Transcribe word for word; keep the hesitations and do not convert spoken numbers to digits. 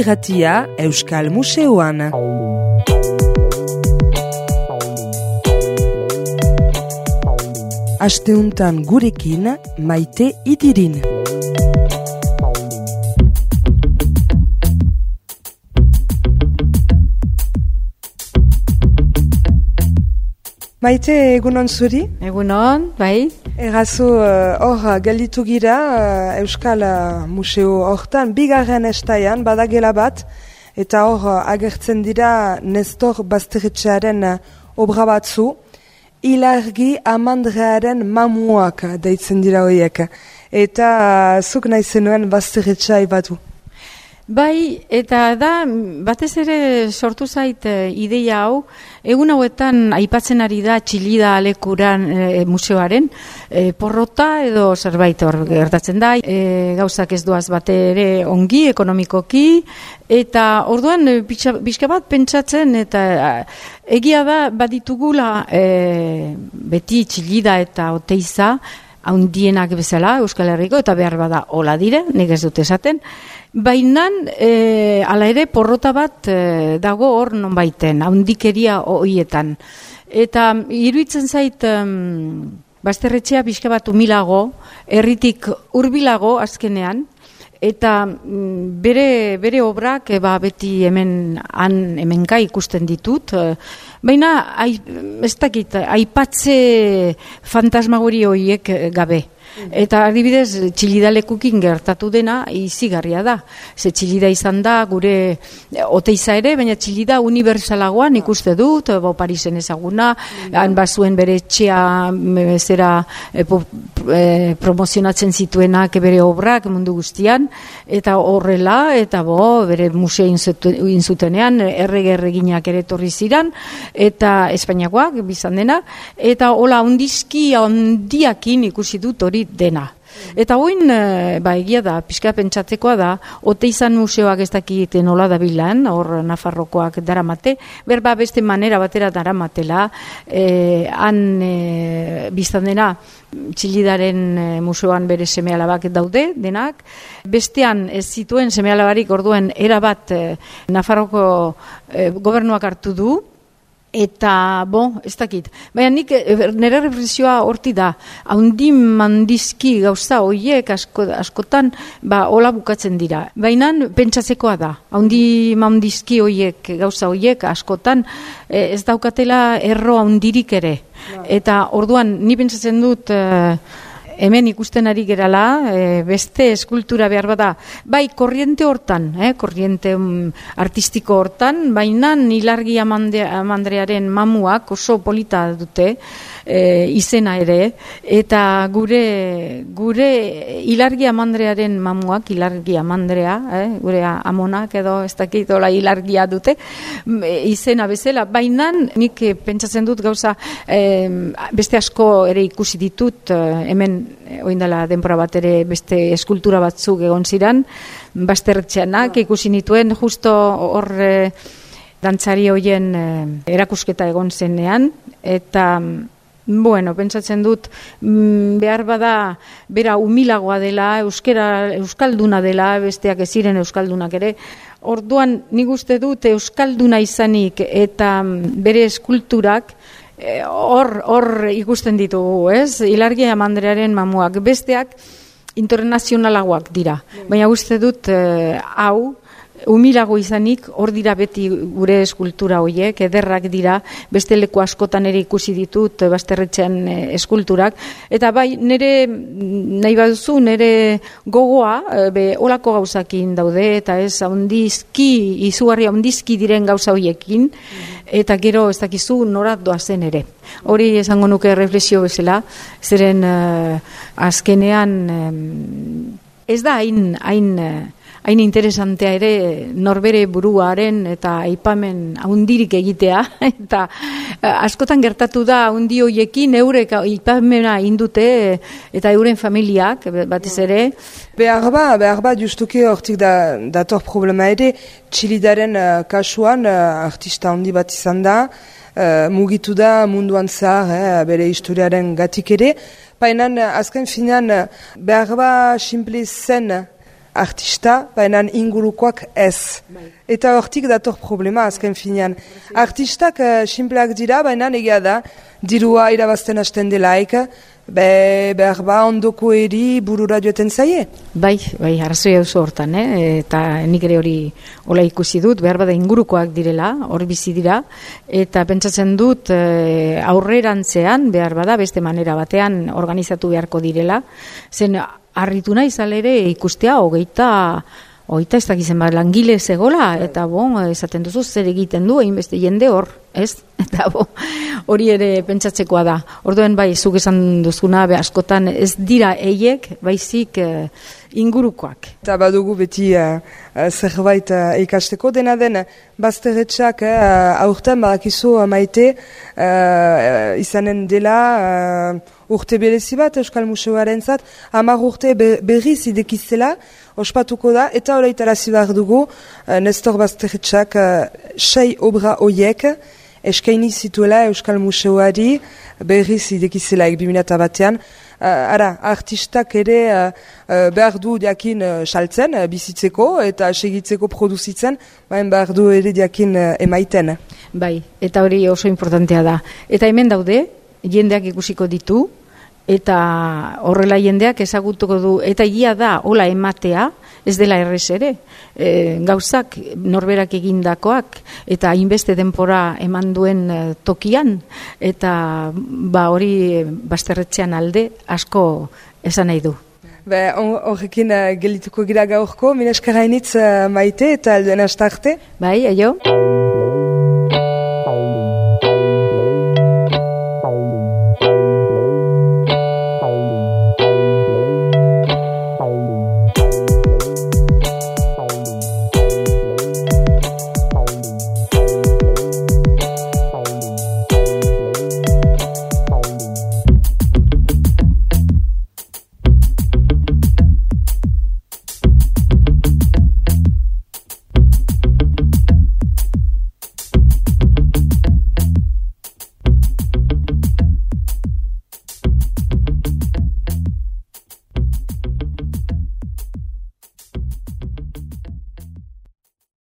irratia Euskal Museoan. Asteuntan gurekin Maite Idirin. Maite, egunon zuri? Egunon, bai. Errazu, hor uh, gelditu gira uh, Euskal uh, Museo hortan, bigarren estaian, badagela bat, eta hor uh, agertzen dira Nestor Basterretxearen uh, obra batzu, Ilargi Amandrearen mamuak deitzen dira horiek. Eta uh, zuk nahi zenuen Basterretxea ibatu. Bai, eta da, batez ere sortu zait e, ideia hau, egun hauetan aipatzen ari da Txillida Alekuran e, museoaren, e, porrota edo zerbait hor gertatzen da, e, gauzak ez duaz bat ere ongi, ekonomikoki, eta orduan pixka bat pentsatzen, eta egia da baditugula e, beti Txillida eta Oteiza, haundienak bezala Euskal Herriko, eta behar bada hola dire, nik ez dut esaten, baina e, ala ere porrota bat e, dago hor non baiten, haundikeria hoietan. Eta iruditzen zait um, Basterretxea pixka bat umilago, herritik hurbilago azkenean, eta mm, bere, bere obrak e, ba, beti hemen han hemenka ikusten ditut, e, baina ai, ez dakit, aipatze fantasmagori horiek gabe. Eta adibidez, Txillida lekukin gertatu dena izigarria da. Ze Txillida izan da gure Oteiza ere, baina Txillida universalagoan ikuste dut, bo Parisen ezaguna, han bazuen bere etxea zera e, po, e, promozionatzen zituenak bere obrak mundu guztian, eta horrela, eta bo, bere museo inzutenean, errege erreginak ere torri ziran, eta Espainiakoak bizan dena, eta hola ondizki ondiakin ikusi dut hori dena. Eta hoin, ba, egia da, pixka pentsatzekoa da, Oteizan museoak ez dakiten nola da bilan, hor Nafarrokoak daramate, berba beste manera batera daramatela, eh, han eh, biztan dena, Txillidaren eh, museoan bere seme-alabak daude, denak, bestean ez zituen seme-alabarik orduen erabat eh, Nafarroko eh, gobernuak hartu du, eta, bo, ez dakit. Baina nik, nire reflexioa horti da, haundi mandizki gauza hoiek asko, askotan, ba, hola bukatzen dira. Baina pentsatzekoa da, haundi mandizki hoiek gauza hoiek askotan, eh, ez daukatela erro haundirik ere. Eta orduan, ni pentsatzen dut, eh, hemen ikusten ari gerala, e, beste eskultura behar bada, bai korriente hortan, eh, korriente um, artistiko hortan, baina Ilargi Amandrearen mamuak oso polita dute, e, izena ere, eta gure gure Ilargi Amandrearen mamuak, Ilargi Amandrea, eh, gure amonak edo ez dakit hola ilargia dute, izena bezala, baina nik pentsatzen dut gauza, e, beste asko ere ikusi ditut, hemen oindala denbora bat ere beste eskultura batzuk egon ziran, Basterretxeanak ikusi nituen, justo hor e, dantzari hoien e, erakusketa egon zenean, eta bueno, pentsatzen dut behar bada bera humilagoa dela, euskera, euskalduna dela, besteak ez ziren euskaldunak ere, orduan nik uste dut euskalduna izanik eta bere eskulturak hor hor ikusten ditugu, ez? Ilargi Amandrearen mamuak, besteak internazionalagoak dira. Baina uste dut eh, hau humilago izanik hor dira beti gure eskultura hoiek, ederrak dira, beste leku askotan ere ikusi ditut Basterretxean eskulturak, eta bai nire nahi baduzu nire gogoa be olako gauzakin daude, eta ez haundizki, izugarri haundizki diren gauza hoiekin, eta gero ez dakizu norat doazen ere. Hori esango nuke reflexio bezala, zeren uh, azkenean uh, ez da hain hain hain interesantea ere norbere buruaren eta aipamen haundirik egitea, eta askotan gertatu da haundi hoiekin eurek aipamena indute eta euren familiak batez ere. Behar ba, behar ba, justuki hortik da, dator problema ere, Txillidaren uh, kasuan uh, artista handi bat izan da, uh, mugitu da munduan zahar, eh, bere historiaren gatik ere, baina azken finean behar ba simple zen artista, baina ingurukoak ez. Eta hortik dator problema azken finean. Artistak uh, simpleak dira, baina egia da, dirua irabazten hasten delaik, be, behar ba ondoko eri burura joeten zaie. Bai, bai, arrazoi hauzo hortan, eh? Eta nik ere hori hola ikusi dut, behar bada ingurukoak direla, hor bizi dira, eta pentsatzen dut eh, aurrerantzean, behar bada, beste manera batean organizatu beharko direla, zen harritu nahi ere ikustea, hogeita, hogeita ez dakizen bat langile zegola, eta bon, esaten duzu zer egiten du, egin beste jende hor, ez? Eta bo, hori ere pentsatzekoa da. Orduen bai, zuk esan duzuna, be askotan ez dira eiek, baizik eh, ingurukoak. Eta badugu beti uh, zerbait uh, ikasteko dena den, bazterretxak uh, aurten badakizu uh, maite uh, izanen dela uh, urte berezi bat Euskal Museoaren zat, hamar urte be, berriz idekizela, ospatuko da, eta horretarazi behar dugu uh, Nestor Bazterretxak uh, sei obra oiek, eskaini zituela Euskal Museoari berriz idekizelaik bi mila batean. Uh, ara, artistak ere uh, uh, behar du diakin uh, saltzen, uh, bizitzeko eta segitzeko produzitzen, baina behar du ere diakin uh, emaiten. Bai, eta hori oso importantea da. Eta hemen daude, jendeak ikusiko ditu, eta horrela jendeak ezagutuko du, eta egia da, hola ematea, ez dela errez ere, e, gauzak norberak egindakoak, eta hainbeste denpora eman duen e, tokian, eta ba hori bazterretxean alde asko esan nahi du. Be, horrekin uh, gelituko gira gaurko, mineskara initz uh, maite eta alduen astarte. Bai, aio.